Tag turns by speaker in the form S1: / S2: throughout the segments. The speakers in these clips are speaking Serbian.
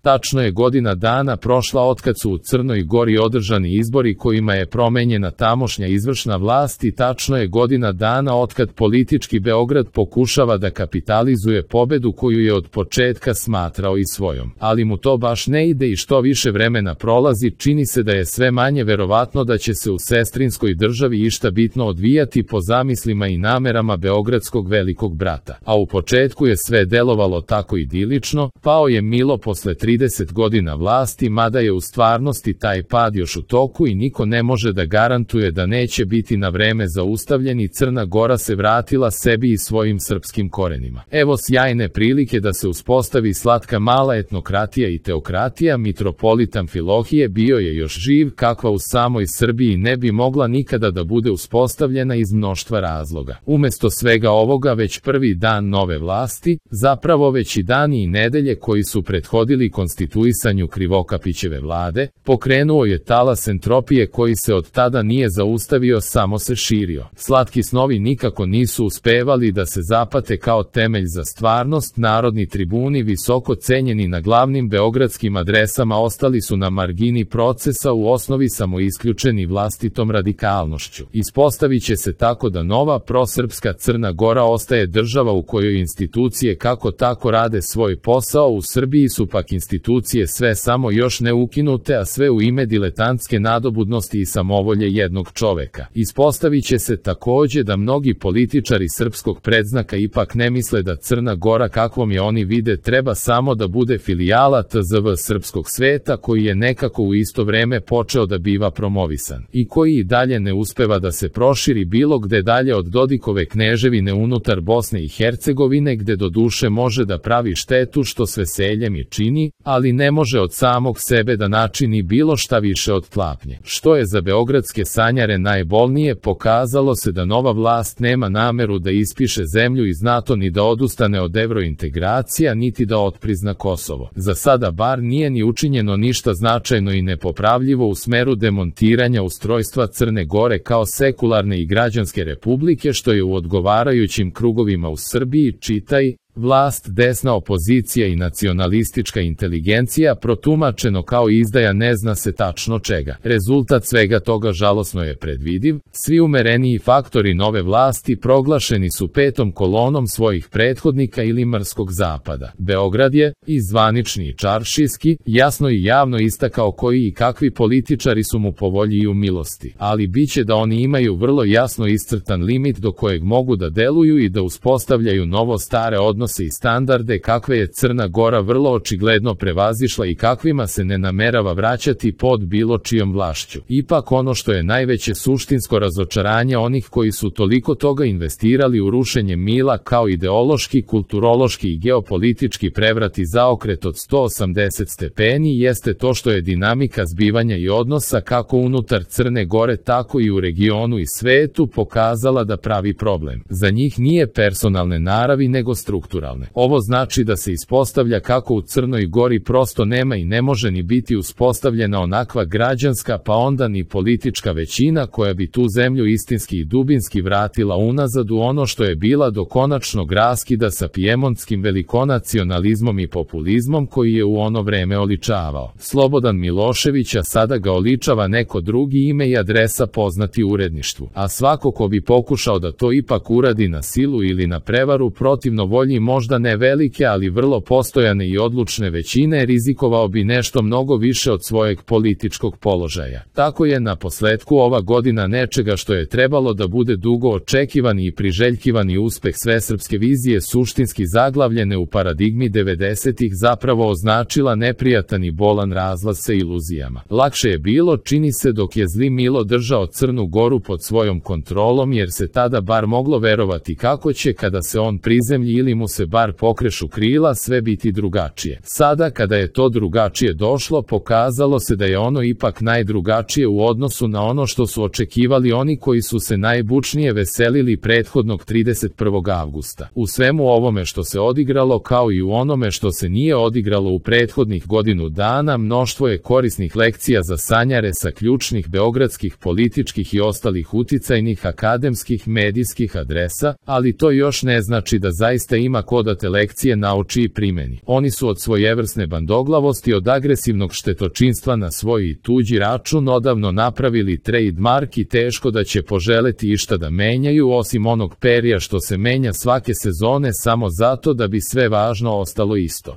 S1: Tačno je godina dana prošla otkad su u Crnoj Gori održani izbori kojima je promenjena tamošnja izvršna vlast i tačno je godina dana otkad politički Beograd pokušava da kapitalizuje pobedu koju je od početka smatrao i svojom. Ali mu to baš ne ide i što više vremena prolazi, čini se da je sve manje verovatno da će se u sestrinskoj državi išta bitno odvijati po zamislima i namerama beogradskog velikog brata. A u početku je sve delovalo tako idilično, pao je Milo posle 30 godina vlasti, mada je u stvarnosti taj pad još u toku i niko ne može da garantuje da neće biti na vreme zaustavljen i Crna Gora se vratila sebi i svojim srpskim korenima. Evo sjajne prilike da se uspostavi slatka mala etnokratija i teokratija. Mitropolit Amfilohije bio je još živ, kakva u samoj Srbiji ne bi mogla nikada da bude uspostavljena iz mnoštva razloga. Umesto svega ovoga, već prvi dan nove vlasti, zapravo već i dani i nedelje koji su prethodili konstituisanju Krivokapićeve vlade, pokrenuo je talas entropije koji se od tada nije zaustavio, samo se širio. Slatki snovi nikako nisu uspevali da se zapate kao temelj za stvarnost. Narodni tribuni, visoko cenjeni na glavnim beogradskim adresama, ostali su na margini procesa, u osnovi samo isključeni vlastitom radikalnošću. Ispostavit će se tako da nova prosrpska Crna Gora ostaje država u kojoj institucije kako tako rade svoj posao. U Srbiji su pak institucije sve samo još ne ukinute, a sve u ime diletantske nadobudnosti i samovolje jednog čoveka. Ispostavit će se takođe da mnogi političari srpskog predznaka ipak ne misle da Crna Gora kakvom je oni vide treba samo da bude filijala TZV srpskog sveta koji je nekako u isto vreme počeo da biva promovisan i koji i dalje ne uspeva da se proširi bilo gde dalje od Dodikove kneževine unutar Bosne i Hercegovine, gde do duše može da pravi štetu što s veseljem i čini, ali ne može od samog sebe da načini bilo šta više od tlapnje. Što je za beogradske sanjare najbolnije, pokazalo se da nova vlast nema nameru da ispiše zemlju iz NATO ni da odustane od evrointegracija niti da otprizna Kosovo. Za sada bar nije ni učinjeno ništa značajno i nepopravljivo u smeru demontiranja ustrojstva Crne Gore kao sekularne i građanske republike, što je u odgovarajućim krugovima u Srbiji, čitaj, vlast, desna opozicija i nacionalistička inteligencija protumačeno kao izdaja ne zna se tačno čega. Rezultat svega toga žalosno je predvidiv. Svi umereniji faktori nove vlasti proglašeni su petom kolonom svojih prethodnika ili mrskog zapada. Beograd je, i zvanični i čaršijski, jasno i javno istakao koji i kakvi političari su mu po volji i u milosti, ali biće da oni imaju vrlo jasno iscrtan limit do kojeg mogu da deluju i da uspostavljaju novo stare odnose i standarde kakve je Crna Gora vrlo očigledno prevazišla i kakvima se ne namerava vraćati pod bilo čijom vlašću. Ipak ono što je najveće suštinsko razočaranje onih koji su toliko toga investirali u rušenje Mila kao ideološki, kulturološki i geopolitički prevrat i zaokret od 180 stepeni jeste to što je dinamika zbivanja i odnosa kako unutar Crne Gore tako i u regionu i svetu pokazala da pravi problem. Za njih nije personalne naravi nego strukturalne. Ovo znači da se ispostavlja kako u Crnoj Gori prosto nema i ne može ni biti uspostavljena onakva građanska pa onda ni politička većina koja bi tu zemlju istinski i dubinski vratila unazad u ono što je bila do konačnog raskida sa pijemontskim velikonacionalizmom i populizmom koji je u ono vreme oličavao Slobodan Milošević, a sada ga oličava neko drugi, ime i adresa poznati uredništvu. A svako ko bi pokušao da to ipak uradi na silu ili na prevaru protivno volji možda ne velike ali vrlo postojane i odlučne većine, rizikovao bi nešto mnogo više od svojeg političkog položaja. Tako je na posledku ova godina nečega što je trebalo da bude dugo očekivani i priželjkivani uspeh svesrpske vizije suštinski zaglavljene u paradigmi 90-ih zapravo označila neprijatan i bolan razlaz sa iluzijama. Lakše je bilo, čini se, dok je zli Milo držao Crnu Goru pod svojom kontrolom, jer se tada bar moglo verovati kako će, kada se on prizemlji ili mu se bar pokrešu krila, sve biti drugačije. Sada kada je to drugačije došlo, pokazalo se da je ono ipak najdrugačije u odnosu na ono što su očekivali oni koji su se najbučnije veselili prethodnog 31. avgusta. U svemu ovome što se odigralo kao i u onome što se nije odigralo u prethodnih godinu dana, mnoštvo je korisnih lekcija za sanjare sa ključnih beogradskih političkih i ostalih uticajnih akademskih medijskih adresa, ali to još ne znači da zaista ima ima ko da te lekcije nauči i primeni. Oni su od svojevrsne bandoglavosti, od agresivnog štetočinstva na svoj i tuđi račun odavno napravili trademark i teško da će poželeti išta da menjaju osim onog perja što se menja svake sezone samo zato da bi sve važno ostalo isto.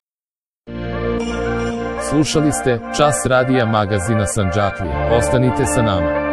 S1: Slušali ste Čas radija magazina Sandžaklija. Ostanite sa nama.